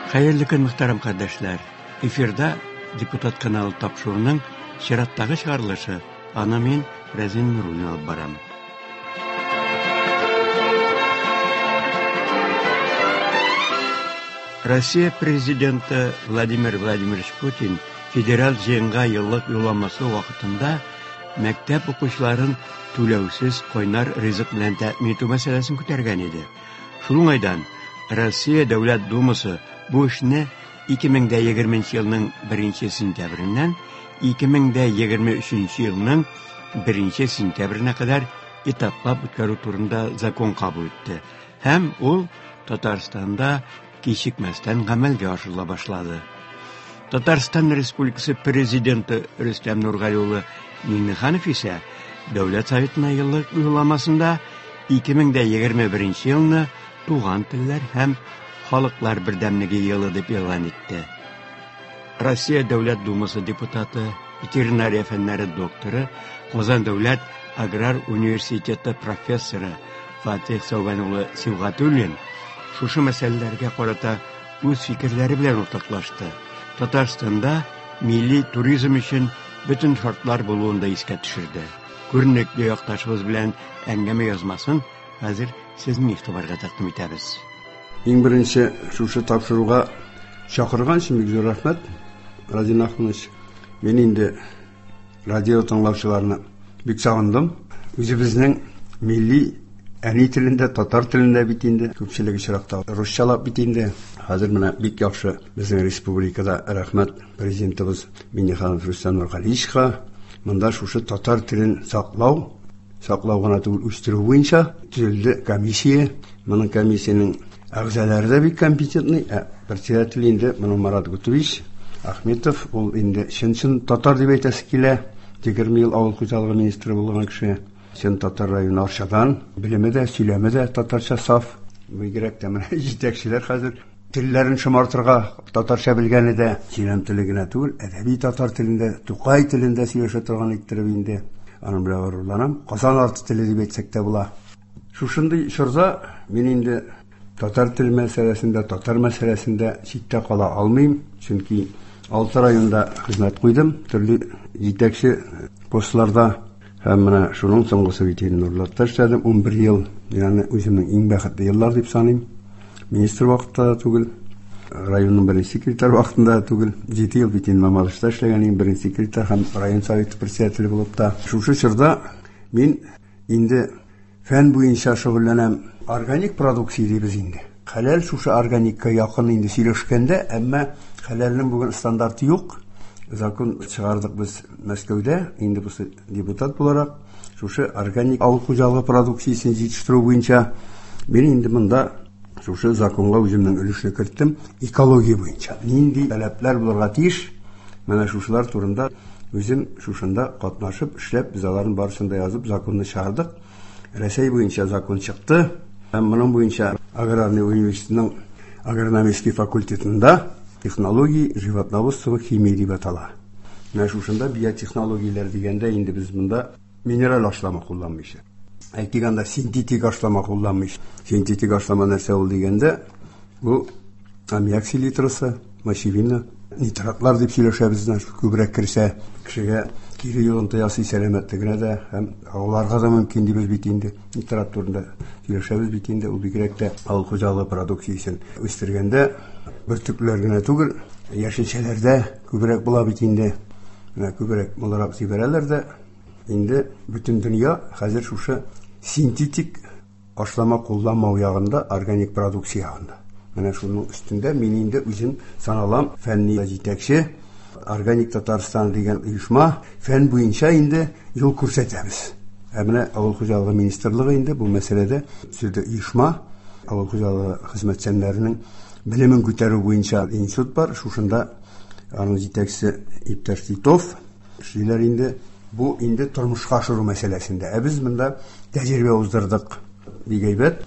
Хәерле көн, мөхтәрәм кардәшләр! Эфирда Депутат каналы тапшыруының чираттагы чыгарылышы. Аны мин, Рәзин Нуруллин алып барам. Россия Президенты Владимир Владимирович Путин федераль җыенга еллык юлламасы вакытында мәктәп укучыларын түләүсез кайнар ризык белән тәэмин итү мәсьәләсен күтәргән иде. Шул уңайдан Россия Дәүләт Думасы бу эшне 2020 елның 1 сентябреннән 2023 елның 1 сентябренә кадәр этаплап үткәрү турында закон кабул итте. Һәм ул Татарстанда кичекмәстән гамәлгә ашырыла башлады. Татарстан Республикасы Президенты Рөстәм Нургали улы Миңнеханов исә Дәүләт Советына еллык юлламасында 2021 елны Туган телләр һәм халыклар бердәмлеге елы дип игълан итте. Россия Дәүләт Думасы депутаты, ветеринария фәннәре докторы, Казан дәүләт аграр университеты профессоры Фатих Сәүбән улы Сибгатуллин шушы мәсьәләләргә карата үз фикерләре белән уртаклашты. Татарстанда милли туризм өчен бөтен шартлар булуын да искә төшерде. Күренекле якташыбыз белән әңгәмә язмасын хәзер сезнең игътибарга тәкъдим итәбез. Иң беренче шушы тапшыруга чакырган өчен бик зур рәхмәт, Радин Ахманович. Мин инде радио тыңлаучыларны бик сагындым. Үзебезнең милли әни телендә, татар телендә бит инде, күпчелек очракта русчалап бит инде. Хәзер менә бик яхшы безнең республикада, рәхмәт президентыбыз Миннеханов Рөстәм Нургалиевичка, монда шушы татар телен саклау, саклау гына түгел, үстерү буенча төзелде комиссия. Моның комиссиянең әгъзалары да бик компетентный, ә председатель инде моның Марат Гутович Ахметов, ул инде чын-чын татар дип әйтәсе килә. 20 ел авыл хуҗалыгы министры булган кеше. Чын татар районы Арчадан, белеме дә, сөйләме дә татарча саф. Бигрәк тә менә җитәкчеләр хәзер телләрен шомартырга татарча белгәне дә, сөйләм теле генә түгел, әдәби татар телендә, Тукай телендә сөйләшә торган иттереп инде. Аның белән горурланам. Казан арты теле дип әйтсәк тә була. Шушындый чорда мин инде татар теле мәсьәләсендә, татар мәсьәләсендә читтә кала алмыйм, чөнки алты районда хезмәт куйдым, төрле җитәкче постларда. Һәм менә шуның соңгысы бит инде Нурлатта эшләдем 11 ел. Мин аны үземнең иң бәхетле еллар дип саныйм. Министр вакытта да түгел, районның беренче секретарь вакытында да түгел. 7 ел бит инде Мамадышта эшләгән идем, беренче секретарь һәм район советы председателе булып та. Шушы чорда мин инде фән буенча шөгыльләнәм. Органик продукция дибез инде. Хәләл шушы органикка якын инде сөйләшкәндә, әмма хәләлнең бүген стандарты юк. Закон чыгардык без Мәскәүдә, инде бусы депутат буларак, шушы органик авыл хуҗалыгы продукциясен җитештерү буенча мин инде монда шушы законга үземнең өлешне керттем. Экология буенча нинди таләпләр булырга тиеш, менә шушылар турында үзем шушында катнашып эшләп, без аларның барысын да язып законны чыгардык. Рәсәй буенча закон чыкты. Һәм моның буенча аграрный университетның агрономический факультетында технологии животноводства химии дип атала. Менә шушында биотехнологияләр дигәндә инде без монда минераль ашлама кулланмыйча. Әйтик анда синтетик ашлама кулланмыйча. Синтетик ашлама нәрсә ул дигәндә, бу аммиак селитрасы, мочевина, нитратлар дип сөйләшәбез, значит, күбрәк керсә, кешегә кире йогынты ясый сәламәтлегенә дә һәм ауларга да мөмкин дибез бит инде. Нитрат турында сөйләшәбез бит инде, ул бигрәк тә авыл хуҗалыгы продукциясен үстергәндә бөртекләр генә түгел, яшелчәләрдә күбрәк була бит инде. Менә күбрәк буларак җибәрәләр дә, инде бөтен дөнья хәзер шушы синтетик ашлама кулланмау ягында, органик продукция ягында. Менә шуның өстендә мин инде үзем саналам фәнни җитәкче. Органик Татарстан дигән оешма фән буенча инде юл күрсәтәбез. Ә менә авыл хуҗалыгы министрлыгы инде бу мәсьәләдә төзеде оешма, авыл хуҗалыгы хезмәтчәннәренең белемен күтәрү буенча институт бар. Шушында аның җитәкчесе иптәш Титов эшлиләр инде. Бу инде тормышка ашыру мәсьәләсендә. Ә без монда тәҗрибә уздырдык. Бик әйбәт.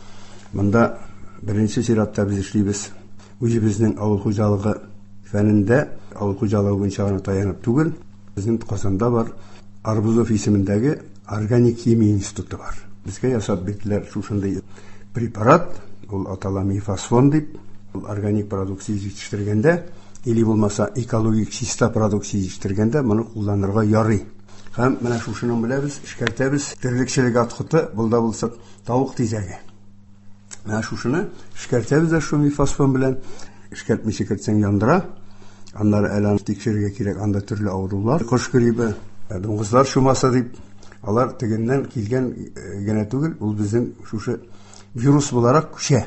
Монда беренче чиратта без эшлибез. Үзебезнең авыл хуҗалыгы фәнендә, авыл хуҗалыгы буенча гына таянып түгел, безнең Казанда бар Арбузов исемендәге органик химия институты бар. Безгә ясап бирделәр шушындый препарат, ул атала мифосфон дип. Органик продукция җитештергәндә или булмаса экологик чиста продукция җитештергәндә моны кулланырга ярый. Һәм менә шушының белән без эшкәртәбез терлекчелек отходы, булда булса тавык тизәге. Менә шушыны эшкәртәбез дә шул мифосфон белән. Эшкәртмичә кертсәң яндыра. Аннары әле аны тикшерергә кирәк, анда төрле авырулар, кош гриппы, дуңгызлар чумасы дип, алар тегеннән килгән генә түгел, ул безнең шушы вирус буларак күчә.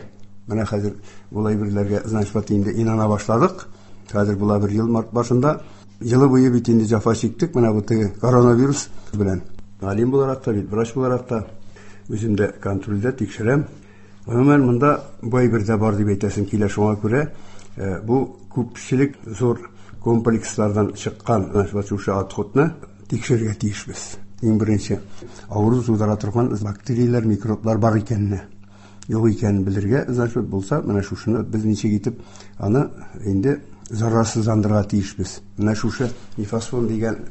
Менә хәзер ул әйберләргә, значит, вот инде инана башладык. Хәзер була бер ел март башында. Елы буе бит инде җәфа чиктек, менә бу теге коронавирус белән. Галим буларак та, бит врач буларак та үзем дә контрольдә тикшерәм. Гомумән, монда бу әйбер дә бар дип әйтәсем килә, шуңа күрә бу күпчелек зур комплекслардан чыккан шушы отходны тикшерергә тиешбез. Иң беренче авыру тудыра торган бактерияләр, микроблар бар икәнне, юк икәнен белергә, значит, булса, менә шушыны без ничек итеп аны инде зарарсызландырырга тиешбез. Менә шушы мифосфон дигән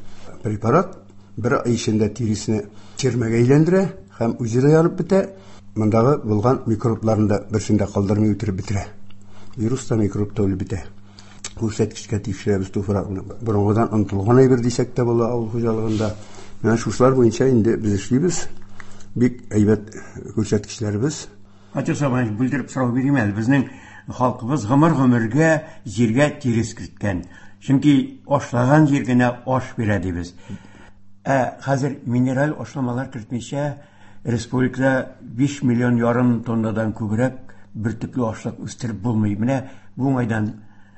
препарат бер ай эчендә тиресне чермәгә әйләндерә һәм үзе дә янып бетә, мондагы булган микробларны да берсен дә калдырмый үтереп бетерә. Вирус та, микроб та үлеп бетә. Күрсәткечкә тикшерәбез туфракны. Борынгыдан онытылган әйбер дисәк тә була авыл хуҗалыгында. Менә шушылар буенча инде без эшлибез. Бик әйбәт күрсәткечләребез. Фатих Сабанович, бүлдереп сорау бирим әле. Безнең халкыбыз гомер-гомергә җиргә тирес керткән. Чөнки ашлаган җир генә аш бирә дибез. Ә хәзер минераль ашламалар кертмичә республикада 5 миллион ярым тоннадан күбрәк бөртекле ашлык үстереп булмый. Менә бу уңайдан.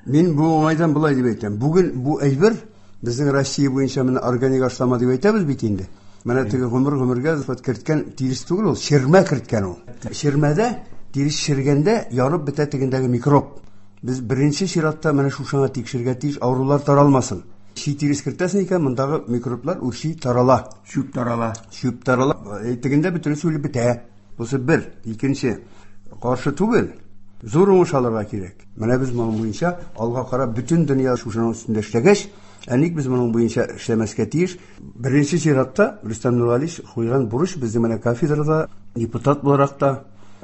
Мин бу уңайдан болай дип әйтәм. Бүген бу әйбер безнең Россия буенча менә органик ашлама дип әйтәбез бит инде. Менә теге гомер-гомергә керткән тирес түгел ул, ширмә керткән ул. Ширмәдә тирес шергәндә янып бетә тегендәге микроб. Без беренче чиратта менә шушыңа тикшергә тиеш, авырулар таралмасын. Чи тирес кертәсең икән, мондагы микроблар үрчи, тарала. Чүп тарала. Чүп тарала. Тегендә бөтенесе үлеп бетә. Бусы бер. Икенче. Каршы түгел. Зур уңыш алырга кирәк. Менә без моның буенча алга карап бөтен дөнья шушының өстендә эшләгәч, ә ник без моның буенча эшләмәскә тиеш? Беренче чиратта Рөстәм Нургалиевич куйган бурыч безнең менә кафедрада депутат буларак та,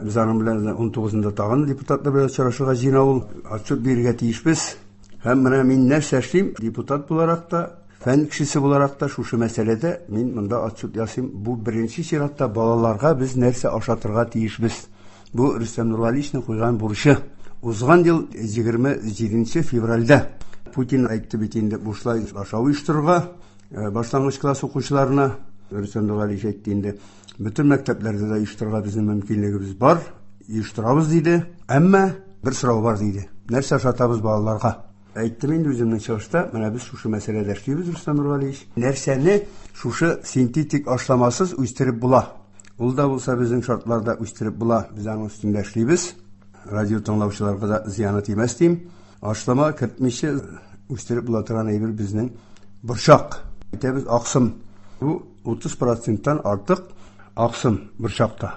без аның белән 19-нда тагын депутатлар белән очрашырга җыена ул, отчет бирергә тиешбез. Һәм менә мин нәрсә эшлим, депутат буларак та, фән кешесе буларак та шушы мәсьәләдә мин монда отчет ясыйм. Бу беренче чиратта балаларга без нәрсә ашатырга тиешбез. Бу Рөстәм Нургалиевичның куйган бурычы. Узган ел 27 февральдә Путин әйтте бит инде бушлай ашау оештырырга башлангыч класс укучыларына. Рөстәм Нургалиевич әйтте инде, бөтен мәктәпләрдә дә оештырырга безнең мөмкинлегебез бар, оештырабыз диде. Әмма бер сорау бар диде. Нәрсә ашатабыз балаларга? Әйттем инде үземнең чыгышта, менә без шушы мәсьәләдә эшлибез, Рөстәм Нургалиевич. Нәрсәне шушы синтетик ашламасыз үстереп була? Ул да булса безнең шартларда үстереп була. Без аның өстендә эшлибез. Радио тыңлаучыларга да зыяны тимәс дим. Ашлама кертмичә үстереп була торган әйбер безнең борчак. Әйтәбез аксым. Бу 30%-тан артык аксым борчакта.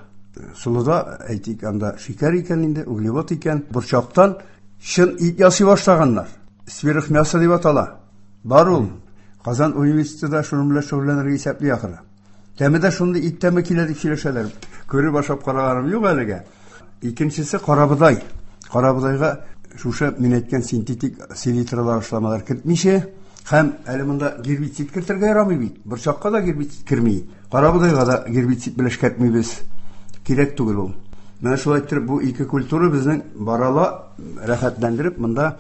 Солыда, әйтик, анда шикәр икән инде, углевод икән. Борчактан чын ит ясый башлаганнар. Сверхмясо дип атала. Бар ул. Казан университетында шуның белән шөгыльләнергә исәпли ахыры. Тәме дә шундый ит тәме килә дип сөйләшәләр. Күреп ашап караганым юк әлегә. Икенчесе карабодай. Карабодайга шушы мин әйткән синтетик селитралар ашламалар кертмичә, һәм әле монда гербицид кертергә ярамый бит. Борчакка да гербицид керми. Карабодайга да гербицид белән эшкәртмибез. Кирәк түгел ул. Менә шулай иттереп бу ике культура безнең барала рәхәтләндереп монда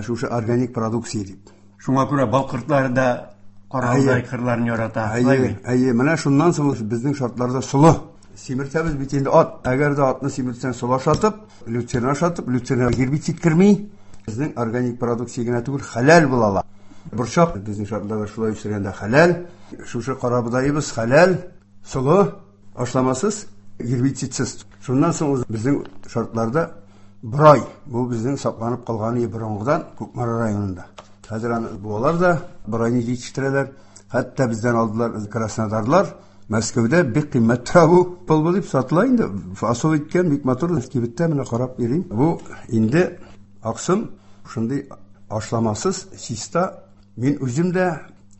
шушы органик продукция дип. Шуңа күрә бал кортлары да карабодай кырларын ярата. Әйе, әйе, менә шуннан соң безнең шартларда солы. Симертәбез бит инде ат. Әгәр дә атны симертсәң, солы ашатып, люцерна ашатып, люцерна гербицид керми. Безнең органик продукция генә түгел, хәләл була ала. Борчак безнең шартларда шулай үстергәндә хәләл. Шушы карабодаебыз хәләл, солы, ашламасыз, гербицидсыз. Шуннан соң безнең шартларда борай. Бу безнең сакланып калган борынгыдан Кукмара районында. Хәзер аны буалар да, борайны җитештерәләр. Хәтта бездән алдылар краснодарлар. Мәскәүдә бик кыйммәт тора бу полбы дип сатыла инде. Фасол иткән бик матур кибеттә менә карап йөрим. Бу инде аксым шундый ашламасыз, чиста. Мин үзем дә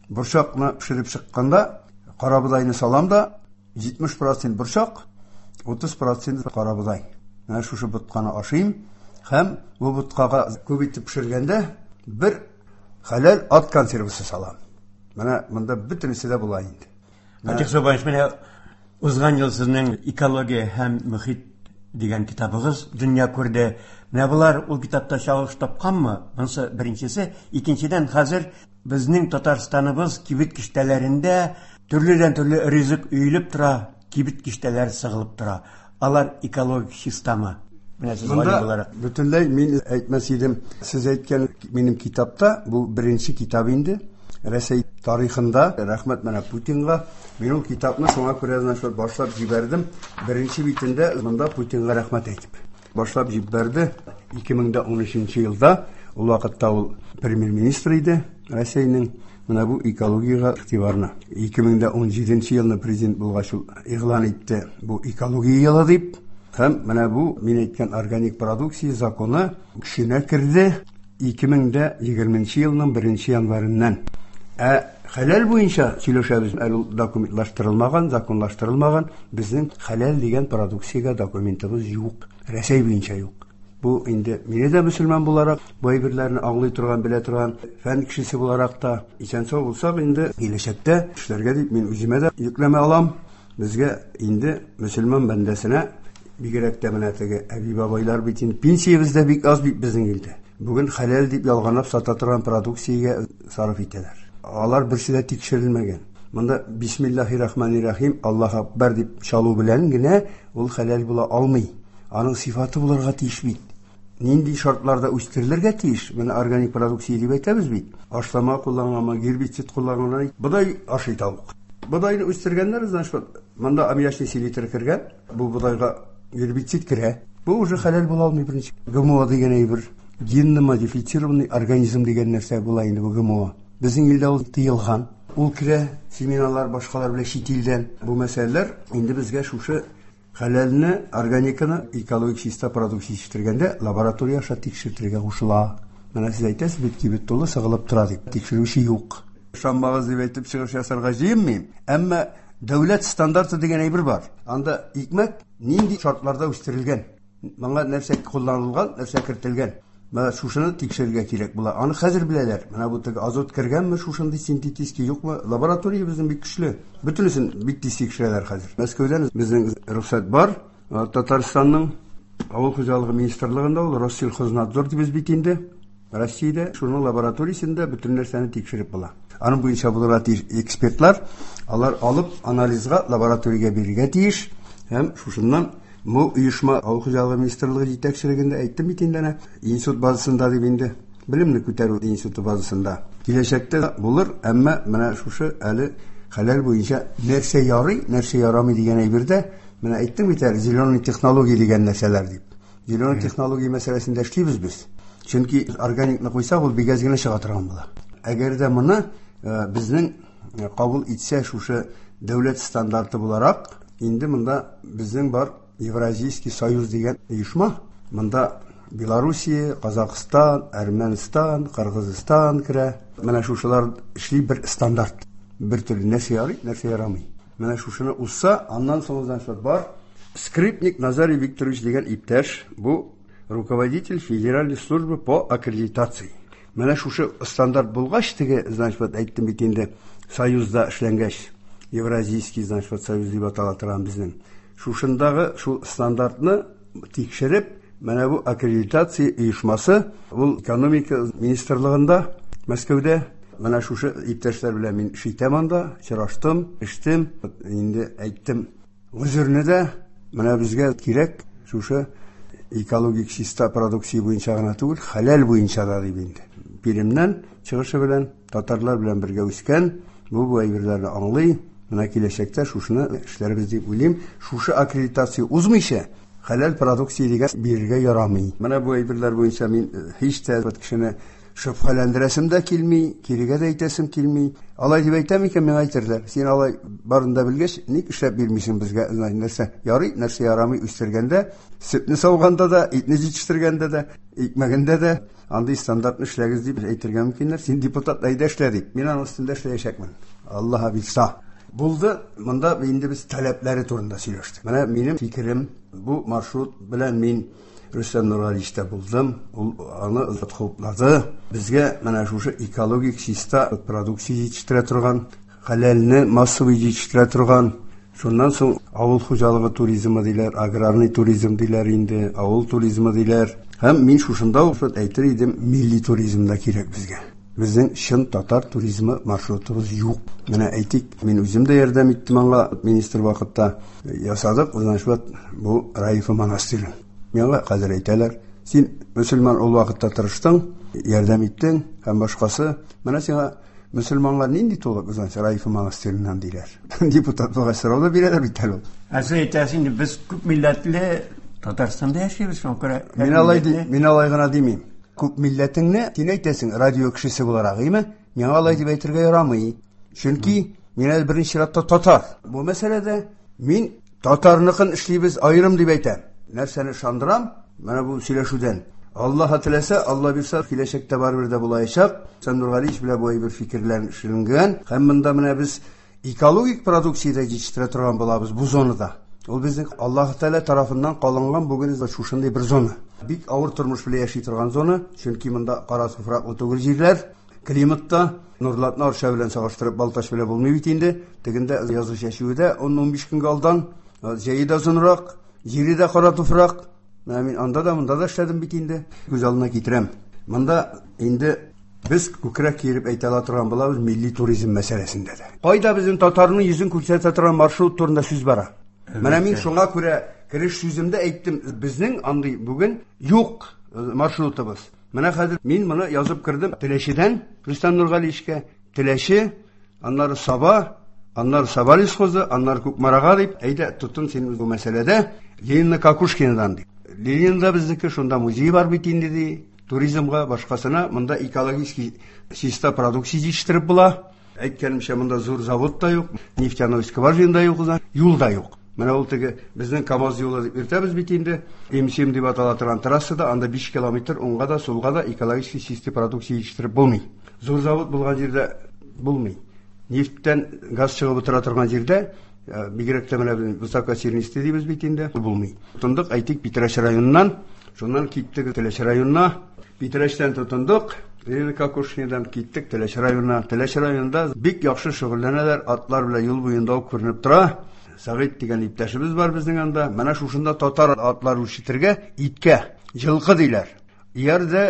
борчакны пешереп чыкканда карабодайны салам да 70% борчак, 30% карабодай. Менә шушы ботканы ашыйм. Һәм бу боткага күп итеп пешергәндә бер хәләл ат консервасы салам. Менә монда бөтенесе дә була инде. Фатих Субанович, менә узган ел сезнең «Экология һәм мөхит» дигән китабыгыз дөнья күрде. Менә болар ул китапта чагылыш тапканмы? Монысы беренчесе. Икенчедән, хәзер безнең Татарстаныбыз кибет киштәләрендә төрледән-төрле ризык өелеп тора, кибет киштәләре сыгылып тора. Алар экологик чистамы? Менә сез галим буларак. Бөтенләй мин әйтмәс идем. Сез әйткән минем китапта, бу беренче китап инде. Рәсәй тарихында, рәхмәт менә Путинга, мин ул китапны шуңа күрә значит башлап җибәрдем. Беренче битендә монда Путинга рәхмәт әйтеп башлап җибәрде. 2013 елда, ул вакытта ул премьер-министр иде Рәсәйнең. Менә бу экологиягә игътибарны. 2017 елны президент булгач ул игълан итте бу экология елы дип. Һәм менә бу мин әйткән органик продукция законы көченә керде 2020 елның 1 январеннән. Ә хәләл буенча сөйләшәбез, әле ул документлаштырылмаган, законлаштырылмаган. Безнең хәләл дигән продукциягә документыбыз юк. Рәсәй буенча юк. Бу инде мине дә мөселман буларак, бу әйберләрне аңлый торган, белә торган фән кешесе буларак та исән-сау булсак инде киләчәктә эшләргә дип мин үземә дә йөкләмә алам. Безгә инде мөселман бәндәсенә бигрәк тә менә теге әби-бабайлар бит инде пенсиябез дә бик аз бит безнең илдә. Бүген хәләл дип ялганлап сата торган продукциягә сарыф итәләр. Алар берсе дә тикшерелмәгән. Монда Бисмиллахи-рахмани-рахим, Аллаһ акбар дип чалу белән генә ул хәләл була алмый. Аның сифаты булырга тиеш бит. Нинди шартларда үстерелергә тиеш? Менә органик продукция дип әйтәбез бит. Ашлама кулланганмы, гербицид кулланганмы? Бодай ашый тавык. Бодайны үстергәннәр, значит, монда аммиачный селитра кергән, бу бодайга гербицид керә. Бу уже хәләл була алмый беренче. ГМО дигән әйбер, генно-модифицированный организм дигән нәрсә була инде бу ГМО. Безнең илдә ул тыелган. Ул керә семиналар, башкалар белән чит илдән. Бу мәсьәләләр инде безгә шушы хәләлне, органиканы, экологик чиста продукция җитештергәндә лаборатория аша тикшертергә кушыла. Менә сез әйтәсез бит, кибет тулы сыгылып тора дип. Тикшерүче юк. Ышанмагыз дип әйтеп чыгыш ясарга җыенмыйм. Әмма дәүләт стандарты дигән әйбер бар. Анда икмәк нинди шартларда үстерелгән, моңа нәрсә кулланылган, нәрсә кертелгән. Менә шушыны тикшерергә кирәк була. Аны хәзер беләләр. Менә бу теге азот кергәнме, шушындый синтетический юкмы? Лаборатория безнең бик көчле. Бөтенесен бик тиз тикшерәләр хәзер. Мәскәүдән безнең рөхсәт бар. Татарстанның авыл хуҗалыгы министрлыгында ул Россельхознадзор дибез бит инде. Россиядә шуның лабораториясендә бөтен нәрсәне тикшереп була. Аның буенча булырга тиеш экспертлар, алар алып анализга лабораториягә бирергә тиеш һәм шушыннан бу оешма авыл хуҗалыгы министрлыгы җитәкчелегендә әйттем бит инде әнә, институт базасында дип инде, белемне күтәрү институты базасында. Киләчәктә булыр, әмма менә шушы әле хәләл буенча нәрсә ярый, нәрсә ярамый дигән әйбердә, менә әйттем бит әле, зеленый технология дигән нәрсәләр дип. Зеленый технология мәсьәләсендә эшлибез без. Чөнки органикны куйсак, ул бик әз генә чыга торган була. Әгәр дә моны безнең кабул итсә шушы дәүләт стандарты буларак, инде монда безнең бар Евразийский союз дигән оешма. Монда Белоруссия, Казахстан, Әрмәнстан, Кыргызстан керә. Менә шушылар эшли бер стандарт. Бер төрле нәрсә ярый, нәрсә ярамый. Менә шушыны узса, аннан соң значит бар Скрипник Назарий Викторович дигән иптәш, бу руководитель Федеральной службы по аккредитации. Менә шушы стандарт булгач, теге, значит, вот әйттем бит инде, союзда эшләнгәч, Евразийский, значит, вот союз дип атала торган безнең. Шушындагы шул стандартны тикшереп, менә бу аккредитация оешмасы, ул экономика министрлыгында, Мәскәүдә, менә шушы иптәшләр белән мин эш итәм анда, очраштым, эштем, инде әйттем, гозерне дә менә безгә кирәк шушы экологик чиста продукция буенча гына түгел, хәләл буенча да дип инде. Пермьнән чыгышы белән, татарлар белән бергә үскән, бу әйберләрне аңлый, менә киләчәктә шушыны эшләрбез дип уйлыйм. Шушы аккредитация узмыйча, хәләл продукция дигән бирергә ярамый. Менә бу әйберләр буенча мин һич тә кешене шөбһәләндерәсем дә килми, кирегә дә әйтәсем килми. Алай дип әйтәм икән, миңа әйтерләр. Син алай барын да белгәч, ник эшләп бирмисең безгә? Нәрсә ярый, нәрсә ярамый үстергәндә, сөтне сауганда да, итне җитештергәндә дә, икмәгендә дә андый стандартны эшләгез дип әйтергә мөмкиннәр. Син депутат, әйдә эшлә дип. Мин аның өстендә эшләячәкмен. Аллаһ бирса. Булды, монда инде без таләпләре турында сөйләштек. Менә минем фикерем, бу маршрут белән мин Рөстәм Нургалиевичтә булдым. Ул аны хуплады. Безгә менә шушы экологик чиста продукция җитештерә торган, хәләлне массовый җитештерә торган. Шуннан соң авыл хуҗалыгы туризмы диләр, аграрный туризм диләр инде, авыл туризмы диләр. Һәм мин шушында ук әйтер идем, милли туризм да кирәк безгә. Безнең чын татар туризмы маршрутыбыз юк. Менә әйтик, мин үзем дә ярдәм иттем аңа, министр вакытта ясадык, значит, бу Раифа монастырен. Миңа хәзер әйтәләр, син мөселман ул вакытта тырыштың, ярдәм иттең һәм башкасы. Менә сиңа мөселманнар нинди тулы, значит, Раифа монастыреннән диләр. Депутат булгач сорау да бирәләр бит әле ул. Ә сез әйтәсез инде, без күп милләтле Татарстанда яшибез, шуңа күрә. Мин алай мин алай гына димим. Күп милләтеңне син әйтәсең, радио кешесе буларак, име? Миңа алай дип әйтергә ярамый. Чөнки мин әле беренче чиратта татар. Бу мәсьәләдә мин татарныкын эшлибез аерым дип әйтәм. Нәрсәне ышандырам? Менә бу сөйләшүдән. Аллаһ теләсә, Алла бирсә, киләчәктә барыбер дә булаячак. Рөстәм Нургалиевич белән бу әйбер фикерләр эшләнгән. Һәм монда менә без экологик продукция дә җитештерә торган булабыз бу зонада. Ул безнең Аллаһ Тәгалә тарафыннан калынган бүген шушындый бер зона. Бик авыр тормыш белән яши торган зона, чөнки монда кара туфраклы түгел җирләр, климатта Нурлатны Арча белән чагыштырып Балтач белән булмый бит инде. Тегендә язгы чәчүе дә 10-15 көнгә алдан, җәе дә озынрак, җире дә кара туфрак. Менә мин анда да, монда да эшләдем бит инде. Күз алдына китерәм. Монда инде без күкрәк киереп әйтә ала торган булабыз милли туризм мәсьәләсендә дә. Кайда безнең татарның йөзен күрсәтә торган маршрут турында сүз бара? Менә мин шуңа күрә кереш сүземдә әйттем, безнең андый бүген юк маршрутыбыз. Менә хәзер мин моны язып кердем Теләчедән Рөстәм Нургалиевичкә. Теләче, аннары Саба, аннары Саба лесхозы, аннары Кукмарага дип, әйдә, тотын син бу мәсьәләдә Ленина Кокушкинадан дип. Ленин да безнеке, шунда музей бар бит инде ди. Туризмга, башкасына монда экологический чиста продукция җитештереп була. Әйткәнемчә, монда зур завод та юк, нефтяной скважина да юк, юл да юк. Менә ул теге безнең КАМАЗ юлы дип йөртәбез бит инде. М7 дип атала торган трассада анда 5 километр уңга да, сулга да экологический чистый продукция җитештереп булмый. Зур завод булган җирдә булмый. Нефтьтән газ чыгып утыра торган җирдә, бигрәк тә менә высокосернистый дибез бит инде, булмый. Тотындык, әйтик, Питрәч районыннан, шуннан киттек Теләче районына. Питрәчтән тотындык, Ленина Кокушкинадан киттек Теләче районына. Теләче районында бик яхшы шөгыльләнәләр, атлар белән юл буенда ук күренеп тора. Сәгыйть дигән иптәшебез бар безнең анда. Менә шушында татар атлар үрчетергә, иткә, җылкы диләр. Иярдә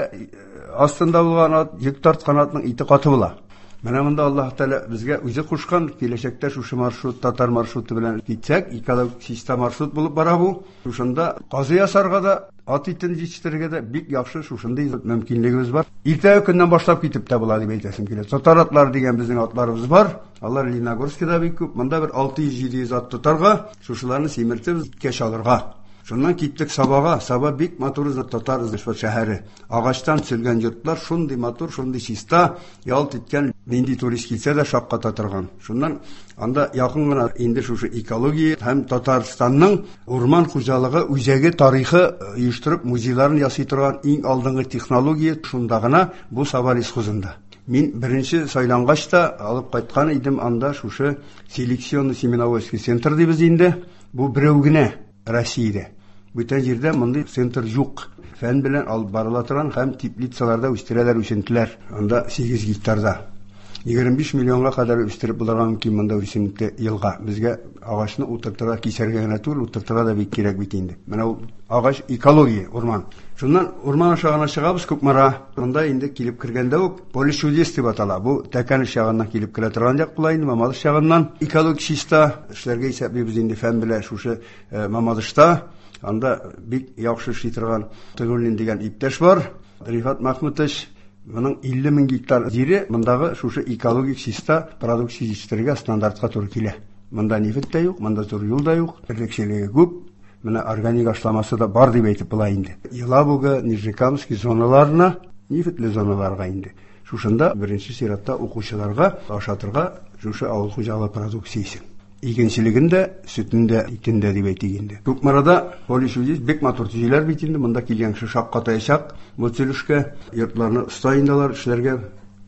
астында булган ат, йөк тарткан атның ите каты була. Менә монда Аллаһ Тәгалә безгә үзе кушкан, киләчәктә шушы маршрут, татар маршруты белән китсәк, экологик чиста маршрут булып бара бу. Шушында казы ясарга да, ат итен җитештерергә дә бик яхшы шушындый мөмкинлегебез бар. Иртәге көннән башлап китеп тә була дип әйтәсем килә. Татар атлары дигән безнең атларыбыз бар. Алар Лениногорскида бик күп. Монда бер 600-700 ат тотарга, шушыларны симертеп, иткә чалырга. Шуннан киттек Сабага. Саба бик матур татар шәһәре. Агачтан төзелгән йортлар шундый матур, шундый чиста, ялт иткән, нинди турист килсә дә шакката торган. Шуннан анда якын гына инде шушы экология һәм Татарстанның урман хуҗалыгы үзәге тарихы оештырып музейларын ясый торган иң алдынгы технология шунда гына бу Саба лесхозында. Мин беренче сайлангач та алып кайткан идем анда шушы селекционный семеноводческий центр дибез инде. Бу берәү генә Россиядә. Бүтән җирдә мондый центр юк. Фән белән алып барыла торган һәм теплицаларда үстерәләр үсентеләр. Анда 8 гектарда. 25 миллионга кадәр үстереп булырга мөмкин монда үсенте елга. Безгә агачны утыртырга, кисәргә генә түгел, утыртырга да бик кирәк бит инде. Менә ул агач экология, урман. Шуннан урман аша гына чыгабыз Кукмара. Монда инде килеп кергәндә үк Поле чудес дип атала. Бу Тәкәнеш ягыннан килеп керә торган як була инде, Мамадыш ягыннан. Экологик чиста эшләргә исәплибез инде фән белән шушы Мамадышта. Анда бик яхшы эшли торган Тыгуллин дигән иптәш бар. Рифат Махмутович, моның 50 мең гектар җире мондагы шушы экологик чиста продукция җитештерергә стандартка туры килә. Монда нефть тә юк, монда зур юл да юк, терлекчелеге күп. Менә органик ашламасы да бар дип әйтеп була инде. Елабуга, Нижнекамский зоналарына, нефтьле зоналарга инде. Шушында беренче чиратта укучыларга ашатырга шушы авыл хуҗалыгы продукциясе. Игенчелеген дә, сөтен дә, итен дә дип әйтик инде. Кукмарада поле чудес бик матур төзиләр бит инде. Монда килгән кеше шаккатаячак бу төзелешкә. Йортларны оста инде алар эшләргә,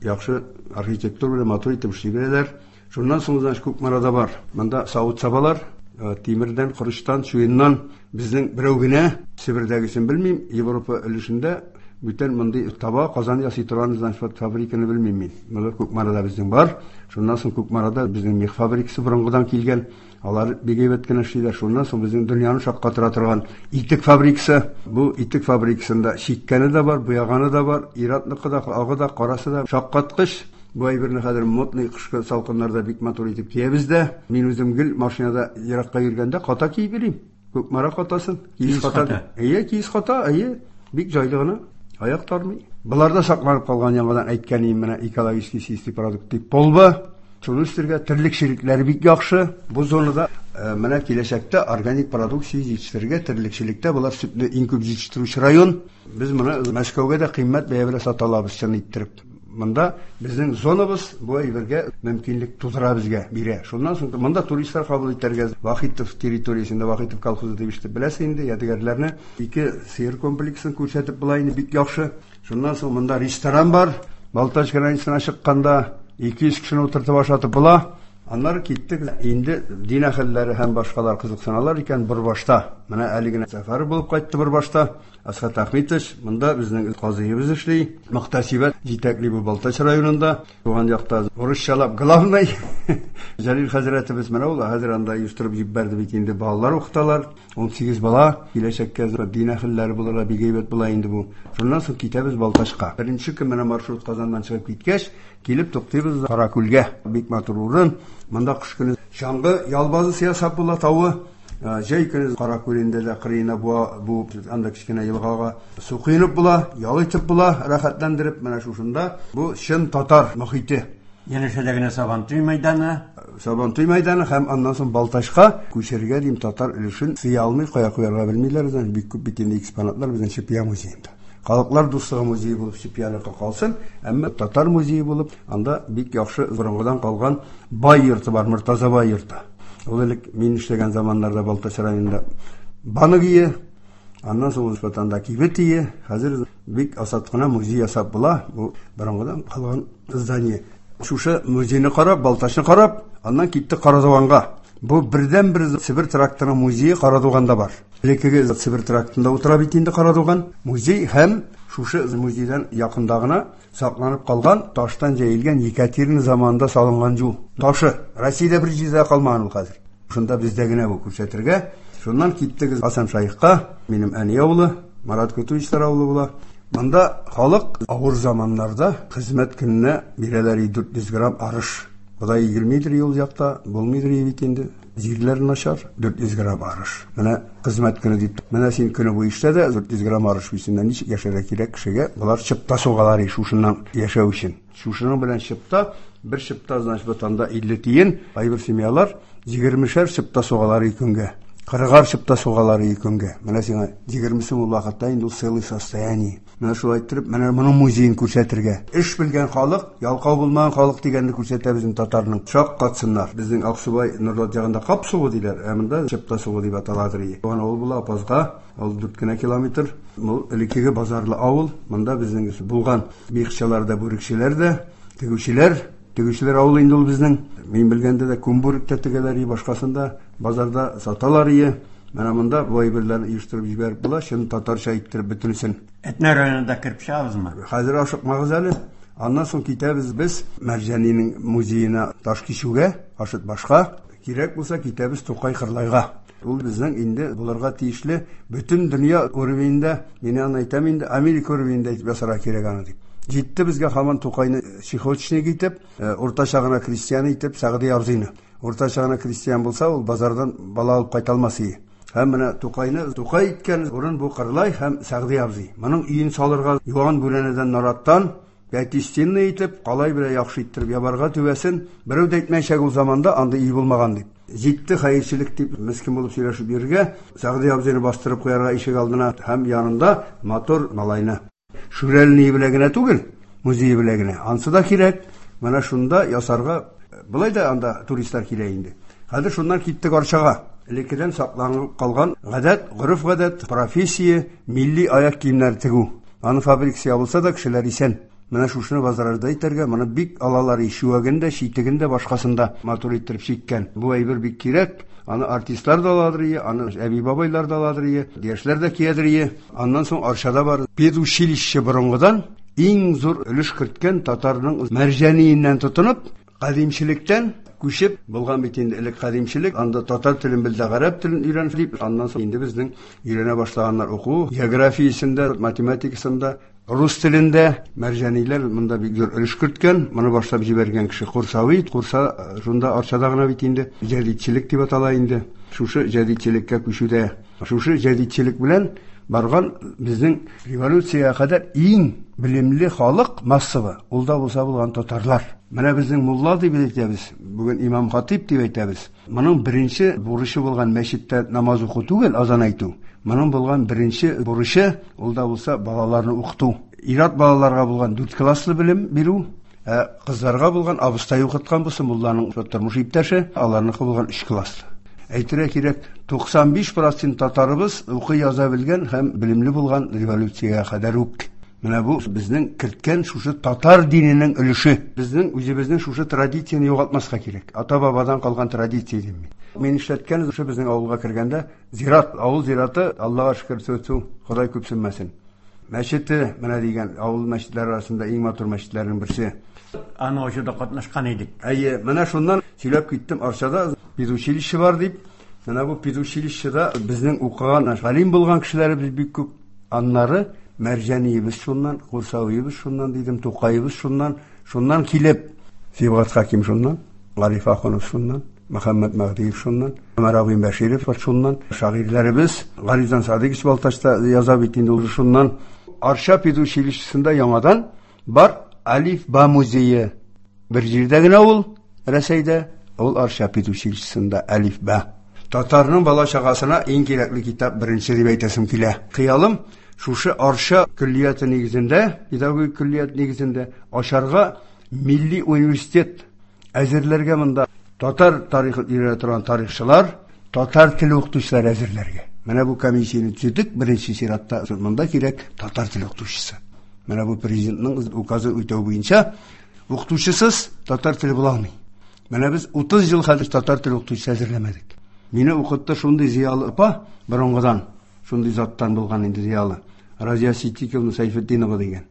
яхшы архитектура белән матур итеп эшли беләләр. Шуннан соң, значит, Кукмарада бар. Монда савыт-сабалар. Тимердән, корычтан, чуеннан безнең берәү генә, Себердәгесен белмим, Европа өлешендә бүтән мондый таба, казан ясый торган, значит, фабриканы белмим мин. Моны Кукмарада безнең бар. Шуннан соң Кукмарада безнең мех фабрикасы борынгыдан килгән. Алар бик әйбәт кенә эшлиләр. Шуннан соң безнең дөньяны шаккатыра торган итек фабрикасы. Бу итек фабрикасында чиккәне дә бар, буяганы да бар, ир-атныкы да, агы да, карасы да. Шаккаткыч. Бу әйберне хәзер модный кышкы салкыннарда бик матур итеп киябез дә. Мин үзем гел машинада еракка йөргәндә ката киеп йөрим. Кукмара катасын. Киез ката. Әйе, киез ката, әйе. Бик җайлы гына. Аяк тармый. Боларда сакланып калган яңадан әйткәнем менә экологический чистый продукт дип полба. Шуны үстерергә терлекчелекләре бик яхшы. Бу зонада менә киләчәктә органик продукция җитештерергә терлекчелектә болар сөтне иң күп җитештерүче район. Без моны Мәскәүгә дә кыйммәт бәя белән сата алабыз, чын иттереп. Монда безнең зонабыз бу әйбергә мөмкинлек тудыра безгә, бирә. Шуннан соң монда туристлар кабул итәргә Вахитов территориясендә Вахитов колхозы дип ишетеп беләсез инде, ядегәрләрне. Ике сыер комплексын күрсәтеп була инде бик яхшы. Шуннан соң монда ресторан бар. Балтач границасына чыкканда 200 кешене утыртып ашатып була. Аннары киттек. Инде дин әһелләре һәм башкалар кызыксыналар икән Борбашта. Менә әле генә сәфәр булып кайтты Борбашта. Асхат Ахметович, монда безнең казыебыз эшли. Мөхтәсибәт җитәкли бу Балтач районында. Туган якта урысчалап главный. Җәлил хәзрәтебез менә ул хәзер анда оештырып җибәрде бит инде, балалар укыталар. 18 бала киләчәккә дин әһелләре булырга бик әйбәт була инде бу. Шуннан соң китәбез Балтачка. Беренче көн менә маршрут Казаннан чыгып киткәч, килеп туктыйбыз Каракүлгә. Бик матур урын. Монда кыш көне чаңгы ял базасы ясап була тавы. Җәй көне Каракүлендә дә кырыена буа, бу анда кечкенә елгага су коенып була, ял итеп була, рәхәтләндереп. Менә шушында бу чын татар мохите. Янәшәдә генә Сабантуй мәйданы. Сабантуй мәйданы һәм аннан соң Балтачка күчерергә дим татар өлешен сыя алмый, кая куярга белмиләр, значит, бик күп бит инде экспонатлар безнең Чепья музеенда. Халыклар дуслыгы музее булып Чепьяныкы калсын, әмма татар музее булып, анда бик яхшы борынгыдан калган бай йорты бар, Мортаза бай йорты. Ул элек мин эшләгән заманнарда Балтач районында банк ие, аннан соң ул анда кибет ие, хәзер бик асат кына музей ясап була, бу борынгыдан калган здание. Шушы музейны карап, Балтачны карап, аннан киттек Карадуганга. Бу бердән-бер Себер тракторының музее Карадуганда бар. Элеккеге Себер трактында утыра бит инде Карадуган. Музей һәм шушы музейдан якында гына сакланып калган таштан җәелгән Екатерина заманында салынган юл ташы. Россиядә бер җирдә калмаган ул хәзер. Шунда бездә генә бу күрсәтергә. Шуннан киттек Хасан Шайхка, минем әни авылы, Марат Кутуевичлар авылы була. Монда халык авыр заманнарда хезмәт көненә бирәләр 400 грамм арыш. Бодай игелмидер юл якта, булмыйдыр бит инде. Җирләр начар, 400 грамм арыш. Менә хезмәт көне дип. Менә син көне буе эшлә дә 400 грамм арыш бисеннән ничек яшәргә кирәк кешегә? Болар чыпта сугалар шушыннан яшәү өчен. Шушының белән чыпта, бер чыпта, значит, ватанда 50 тиен, кайбер семьялар 20-шәр чыпта сугалар көнгә. 40-ар чыпта сугалар көнгә. Менә сиңа 20 сум ул вакытта инде ул целый состояние. Менә шулай иттереп, менә моның музеен күрсәтергә. Эш белгән халык, ялкау булмаган халык дигәнне күрсәтә безнең татарның. Шаккатсыннар. Безнең Аксубай Нурлат ягында кап сугы диләр, ә монда чыпта сугы дип аталадыр. Туган авыл була Апазга, ул 4 кенә километр. Бу элеккеге базарлы авыл. Монда безнең булган мехчалар да, бүрекчеләр дә, тегүчеләр. Тегүчеләр авылы инде ул безнең. Мин белгәндә дә күн бүрек тә тегәләр, башкасын да базарда саталар. Менә монда бу әйберләрне оештырып җибәреп була, чын татарча иттереп бөтенесен. Әтнә районында кереп чыгабызмы? Хәзер ашыкмагыз әле. Аннан соң китәбез без Мәрҗанинең музеена Ташкичүгә, Ашытбашка. Кирәк булса китәбез Тукай Кырлайга. Ул безнең инде булырга тиешле бөтен дөнья уровеньдә, мин аны әйтәм инде, Америка уровеньдә итеп ясарга кирәк аны дип. Җитте безгә һаман Тукайны чехоточник итеп, уртача гына крестьян итеп, Сәгъди абзыйны. Уртача гына крестьян булса, ул базардан бала алып кайта алмас иде. Һәм менә Тукайны Тукай иткән урын бу Кырлай һәм Сәгъди абзый. Моның өен салырга юан бүрәнәдән нараттан пятистенный итеп, калай белән яхшы иттереп ябарга түбәсен, берәү дә әйтмәячәк ул заманда андый өй булмаган дип. Җитте хәерчелек дип мескен булып сөйләшеп йөрергә, Сәгъди абзыйны бастырып куярга ишек алдына һәм янында матур малайны. Шүрәлене белән генә түгел, музее белән генә. Ансы да кирәк. Менә шунда ясарга, былай да анда туристлар килә инде. Хәзер шуннан киттек Арчага. Элеккедән сакланып калган гадәт, гореф-гадәт, профессия, милли аяк киемнәре тегү. Аны фабрикасы ябылса да кешеләр исән. Менә шушыны возрождать итәргә, моны бик алалар, чүәген дә, читеген дә, башкасын да матур иттереп чиккән. Бу әйбер бик кирәк. Аны артистлар да аладыр ие, аны әби-бабайлар да аладыр ие, яшьләр дә киядер ие. Аннан соң Арчада бар педучилище, борынгыдан иң зур өлеш керткән татарның Мәрҗаниеннән тотынып, кадимчелектән күчеп булган бит инде элек кадимчелек, анда татар телен бел дә гарәп телен өйрән дип, аннан соң инде безнең өйрәнә башлаганнар уку, географиясендә, математикасында, рус телендә. Мәрҗаниләр монда бик зур өлеш керткән. Моны башлап җибәргән кеше Курсави, Курса шунда Арчада гына бит инде җәдитчелек дип атала инде. Шушы җәдитчелеккә күчүдә, шушы җәдитчелек белән барган безнең революциягә кадәр иң белемле халык массовы, ул да булса булган татарлар. Менә безнең мулла дип әйтәбез, бүген имам хатип дип әйтәбез. Моның беренче бурычы булган мәчеттә намаз уку түгел, азан әйтү. Моның булган беренче бурычы, ул да булса балаларны укыту. Ир-ат балаларга булган 4 класслы белем бирү, ә кызларга булган абыстай укыткан булса мулланың тормыш иптәше, аларныкы булган 3 класслы. Әйтергә кирәк, 95% татарыбыз укый яза белгән һәм белемле булган революциягә кадәр үк. Менә бу безнең керткән шушы татар диненең өлеше. Безнең үзебезнең шушы традицияне югалтмаска кирәк. Ата-бабадан калган традиция дим мин. Мин эшләткән шушы безнең авылга кергәндә зират, авыл зираты, Аллага шөкер, тфү, Ходай күпсенмәсен. Мәчете, менә дигән, авыл мәчетләре арасында иң матур мәчетләрнең берсе. Аны ачуда катнашкан идек. Әйе, менә шуннан сөйләп киттем, Арчада педучилище бар дип. Менә бу педучилищеда безнең укыган, галим булган кешеләребез бик күп. Аннары Мәрҗаниебез шуннан, Курсавиебез шуннан дидем, Тукаебыз шуннан, шуннан килеп, Сибгат Хаким шуннан, Гариф Ахунов шуннан, Мөхәммәд Мәһдиев шуннан, Гомәр абый Бәширов шуннан, шагыйрьләребез Гарифҗан Садыйкович Балтачта яза бит инде ул шуннан. Арча педучилищесында яңадан бар Алиф Ба музее. Бер җирдә генә ул, Рәсәйдә, ул Арча педучилищесында Алиф Ба. Татарның бала чагасына иң кирәкле китап беренче дип әйтәсем килә. Хыялым шушы Арча көллияте нигезендә, педагогик көллият нигезендә ачарга милли университет әзерләргә, монда татар тарихын өйрәнә торган тарихчылар, татар теле укытучылар әзерләргә. Менә бу комиссияне төзедек, беренче чиратта монда кирәк татар теле укытучысы. Менә бу президентның указы үтәү буенча укытучысыз татар теле була алмый. Менә без 30 ел хәзер татар теле укытучысы әзерләмәдек. Мине укытты шундый зыялы апа, борынгыдан, шундый заттан булган инде зыялы. Разия Ситдиковна Сайфетдинова дигән.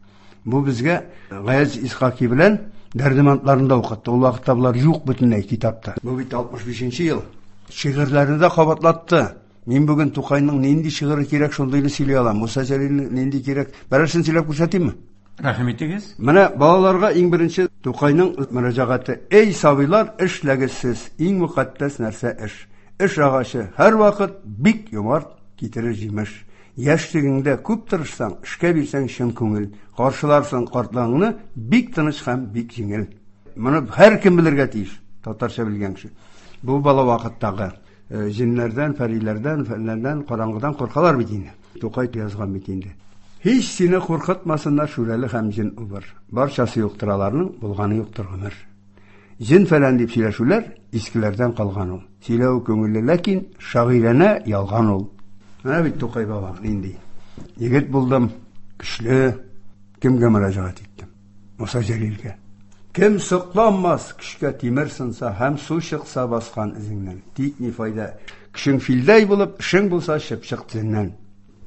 Бу безгә Гаяз Исхаки белән Дәрдемантларны да укытты. Ул вакытта булар юк бөтенләй китапта. Бу бит 65 ел. Шигырьләрне дә кабатлатты. Мин бүген Тукайның нинди шигыре кирәк, шундыйны сөйли алам. Муса Җәлилнең нинди кирәк? Берәрсен сөйләп күрсәтимме? Рәхим итегез. Менә балаларга иң беренче Тукайның мөрәҗәгате. Эй, сабыйлар, эшләгез сез. Иң мөкатдәс нәрсә эш. Эш агачы һәрвакыт бик юмарт китерер җимеш. Яшьлегеңдә күп тырышсаң, эшкә бирсәң чын күңел, каршыларсың картлыгыңны бик тыныч һәм бик җиңел. Моны һәркем белергә тиеш, татарча белгән кеше. Бу бала вакыттагы җеннәрдән, фәриләрдән, фәннәрдән, караңгыдан куркалар бит инде. Тукай язган бит инде. Һич сине куркытмасыннар шүрәле һәм җен убыр. Барчасы юктыр аларның, булганы юктыр гомер. Җен фәлән дип сөйләшүләр искеләрдән калган ул. Сөйләү күңелле, ләкин шагыйрәнә ялган ул. Менә бит Тукай баба нинди. Егет булдым, көчле, кемгә мөрәҗәгать иттем? Муса Җәлилгә. Кем сокланмас көчкә тимер сынса һәм су чыкса баскан эзеңнән. Тик ни файда? Көчең филдәй булып, эшең булса чыпчык тезеннән.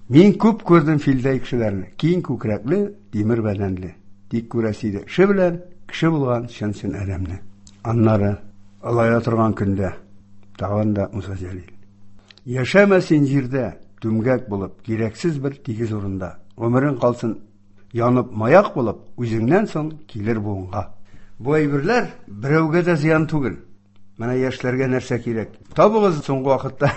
Мин күп күрдем филдәй кешеләрне, киң күкрәкле, тимер бәдәнле. Тик күрәсе иде эше белән кеше булган чын-чын адәмне. Аннары олая торган көндә тагын да Муса Җәлил. Яшәмә син җирдә, түмгәк булып, кирәксез бер тигез урында. Гомерең калсын янып маяк булып, үзеңнән соң килер буынга. Бу әйберләр берәүгә дә зыян түгел. Менә яшьләргә нәрсә кирәк? Табыгыз соңгы вакытта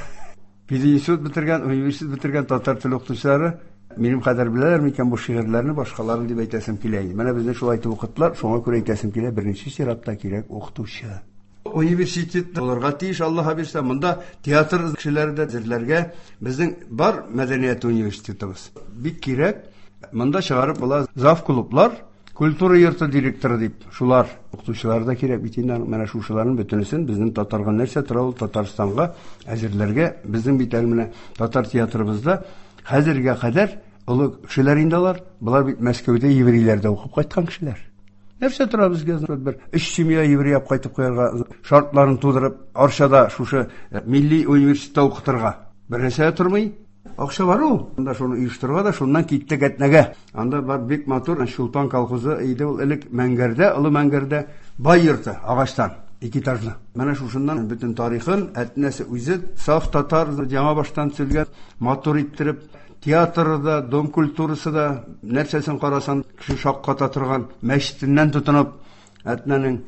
пединститут бетергән, университет бетергән татар теле укытучылары минем кадәр беләләр микән бу шигырьләрне, башкаларын дип әйтәсем килә инде. Менә безне шулай итеп укыттылар, шуңа күрә әйтәсем килә, беренче чиратта кирәк укытучы. Университет булырга тиеш, Аллаһ бирсә, монда театр кешеләре дә әзерләргә. Безнең бар мәдәният университетыбыз. Бик кирәк. Монда чыгарып була зав клублар, культура йорты директоры дип, шулар укытучылар да кирәк бит инде. Менә шушыларның бөтенесен безнең татарга нәрсә тора ул Татарстанга әзерләргә. Безнең бит әле менә татар театрыбызда хәзергә кадәр Олы кешеләр инде алар. Болар бит Мәскәүдә еврейләрдә укып кайткан кешеләр. Нәрсә тора безгә бер өч семья еврей алып кайтып куярга, шартларын тудырып, Арчада шушы милли университетта укытырга. Бер нәрсә дә тормый. Акча бар ул. Анда шуны оештырырга да, шуннан киттек Әтнәгә. Анда бар бик матур Чулпан колхозы иде ул элек Мәңгәрдә, Олы Мәңгәрдә бай йорты агачтан, ике этажлы. Менә шушыннан бөтен тарихын, Әтнәсе үзе саф татар, яңа баштан төзелгән, матур иттереп, театры да, дом культурасы да, нәрсәсен карасан, кеше шакката торган мәчетеннән тотынып, Әтнәнең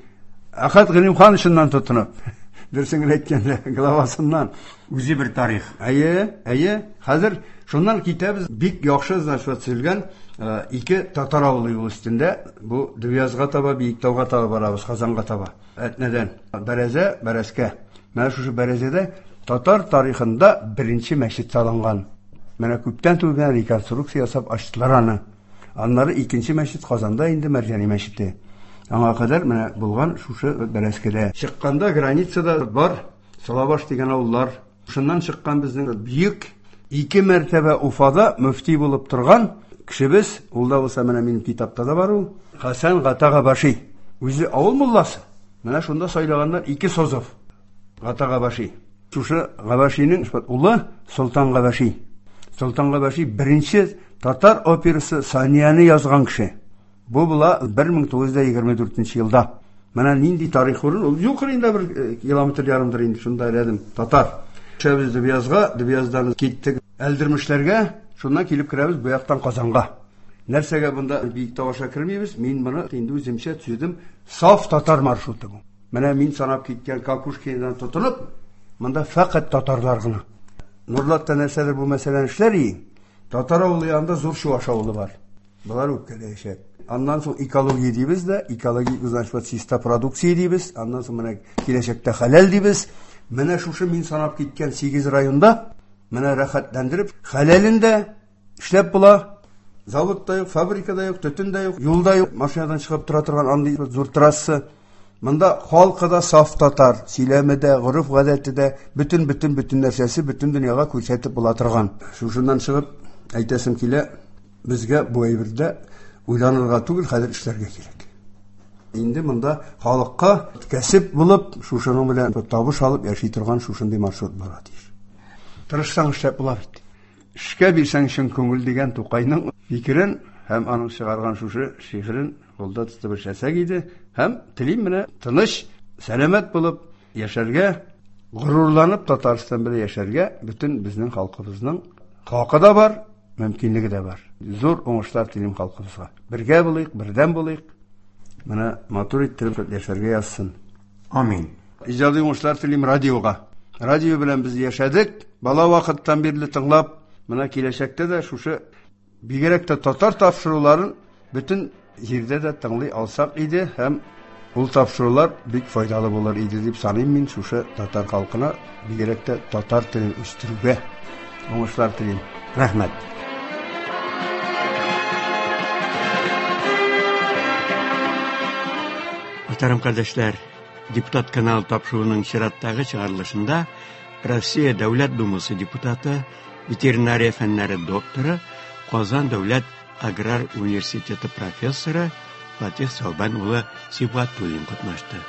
Әхәт Гыйлемхановичыннан тотынып, дөресен генә әйткәндә, главасыннан. Үзе бер тарих. Әйе, әйе. Хәзер шуннан китәбез. Бик яхшы, значит, төзелгән ике татар авылы юл өстендә. Бу Дөбьязга таба, Биектауга таба барабыз, Казанга таба. Әтнәдән. Бәрәзә, Бәрәскә. Менә шушы Бәрәзәдә татар тарихында беренче мәчет салынган. Менә күптән түгел генә реконструкция ясап ачтылар аны. Аннары икенче мәчет Казанда инде Мәрҗани мәчете. Аңа кадәр менә булган шушы Бәрәскәдә. Чыкканда границада бар Салабаш дигән авыллар. Шуннан чыккан безнең бөек ике мәртәбә Уфада мөфти булып торган кешебез, ул да булса менә минем китапта да бар ул, Хәсән Гата Габаши. Үзе авыл мулласы. Менә шунда сайлаганнар ике созов. Гата Габаши. Шушы Габашиның улы Солтан Габаши. Солтан Габаши беренче татар операсы Санияне язган кеше. Бу була 1924 елда. Менә нинди тарих урын, ул юл кырыенда бер километр ярымдыр инде шунда рядом татар. Төшәбез Дөбьязга, Дөбьяздан киттек Әлдермешләргә, шуннан килеп керәбез бу яктан Казанга. Нәрсәгә монда Биектау аша кермибез? Мин моны инде үземчә төзедем. Саф татар маршруты бу. Менә мин санап киткән Кокушкинадан тотынып, монда фәкать татарлар гына. Нурлатта нәрсәдер бу мәсьәләне эшләр иең. Татар авылы янында зур чуваш авылы бар. Болар үпкәләячәк. Аннан соң экология дибез дә, экологик, значит, вот чиста продукция дибез. Аннан соң менә киләчәктә хәләл дибез. Менә шушы мин санап киткән 8 районда менә рәхәтләндереп хәләлен дә эшләп була. Завод та юк, фабрика да юк, төтен дә юк, юл да юк. Машинадан чыгып тора торган андый зур трасса. Монда халкы да саф татар, сөйләме дә, гореф-гадәте дә, бөтен-бөтен-бөтен нәрсәсе бөтен дөньяга күрсәтеп була торган. Шушыннан чыгып әйтәсем килә, безгә бу әйбердә уйланырга түгел, хәзер эшләргә кирәк. Инде монда халыкка кәсеп булып, шушының белән табыш алып яши торган шушындый маршрут булырга тиеш. Тырышсаң эшләп була бит. Эшкә бирсәң чын күңел дигән Тукайның фикерен һәм аның чыгарган шушы шигырен кулда тотып эшләсәк иде һәм телим менә тыныч, сәламәт булып яшәргә, горурланып Татарстан белән яшәргә бөтен безнең халкыбызның хакы да бар, мөмкинлеге дә бар. Зур уңышлар телим халкыбызга. Бергә булыйк, бердәм булыйк. Менә матур иттереп яшәргә язсын. Амин. Иҗади уңышлар телим радиога. Радио белән без яшәдек, бала вакыттан бирле тыңлап, менә киләчәктә дә шушы бигрәк тә татар тапшыруларын бөтен җирдә дә тыңлый алсак иде һәм ул тапшырулар бик файдалы булыр иде дип саныйм мин шушы татар халкына, бигрәк тә татар телен үстерүгә уңышлар телим. Рәхмәт. Мөхтәрәм кардәшләр, Депутат каналы тапшыруының чираттагы чыгарылышында Россия Дәүләт Думасы депутаты, ветеринария фәннәре докторы, Казан дәүләт аграр университеты профессоры Фатих Сәүбән улы Сибгатуллин катнашты.